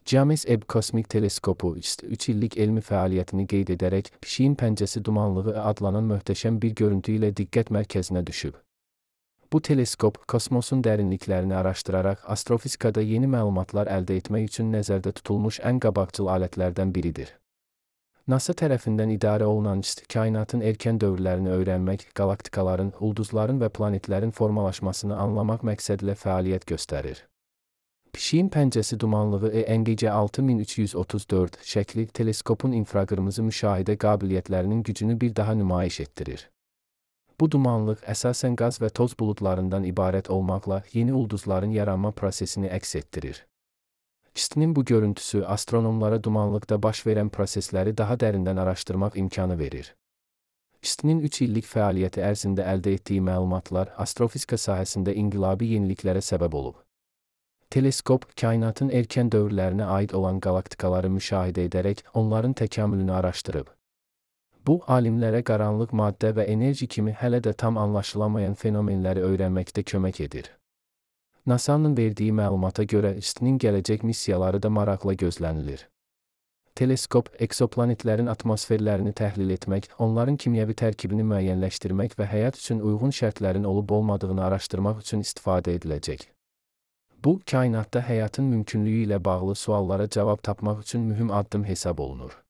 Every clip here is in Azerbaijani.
James Webb Kosmik Teleskopu 3 illik elmi fəaliyyətini qeyd edərək pişiyin pəncəsi dumanlığı adlanan möhtəşəm bir görüntü ilə diqqət mərkəzinə düşüb. Bu teleskop kosmosun dərinliklərini araşdıraraq astrofizikada yeni məlumatlar əldə etmək üçün nəzərdə tutulmuş ən qabaqcıl alətlərdən biridir. NASA tərəfindən idarə olunan kainatın erkən dövrlərini öyrənmək, qalaktikaların, ulduzların və planetlərin formalaşmasını anlamaq məqsədilə fəaliyyət göstərir. Pişiyin pəncəsi dumanlığı ENGC 6334 şəkli teleskopun infraqırmızı müşahidə qabiliyyətlərinin gücünü bir daha nümayiş etdirir. Bu dumanlıq əsasən qaz və toz buludlarından ibarət olmaqla yeni ulduzların yaranma prosesini əks etdirir. CIST-nin bu görüntüsü astronomlara dumanlıqda baş verən prosesləri daha dərindən araşdırmaq imkanı verir. CIST-nin 3 illik fəaliyyəti ərzində əldə etdiyi məlumatlar astrofizika sahəsində inqilabi yeniliklərə səbəb olub. Teleskop, kainatın erkən dövrlərinə aid olan qalaktikaları müşahidə edərək onların təkamülünü araşdırıb. Bu, alimlərə qaranlıq maddə və enerji kimi hələ də tam anlaşılamayan fenomenləri öyrənməkdə kömək edir. NASA-nın verdiyi məlumata görə CIST-nin gələcək missiyaları da maraqla gözlənilir. Teleskop, eksoplanetlərin atmosferlərini təhlil etmək, onların kimyəvi tərkibini müəyyənləşdirmək və həyat üçün uyğun şərtlərin olub-olmadığını araşdırmaq üçün istifadə ediləcək. Bu, kainatda həyatın mümkünlüyü ilə bağlı suallara cavab tapmaq üçün mühüm addım hesab olunur.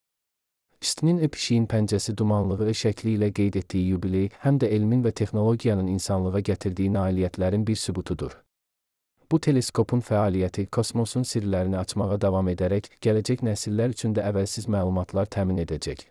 CIST-nin pişiyin pəncəsi dumanlığı şəkli ilə qeyd etdiyi yubiley həm də elmin və texnologiyanın insanlığa gətirdiyi nailiyyətlərin bir sübutudur. Bu teleskopun fəaliyyəti kosmosun sirlərini açmağa davam edərək gələcək nəsillər üçün də əvvəlsiz məlumatlar təmin edəcək.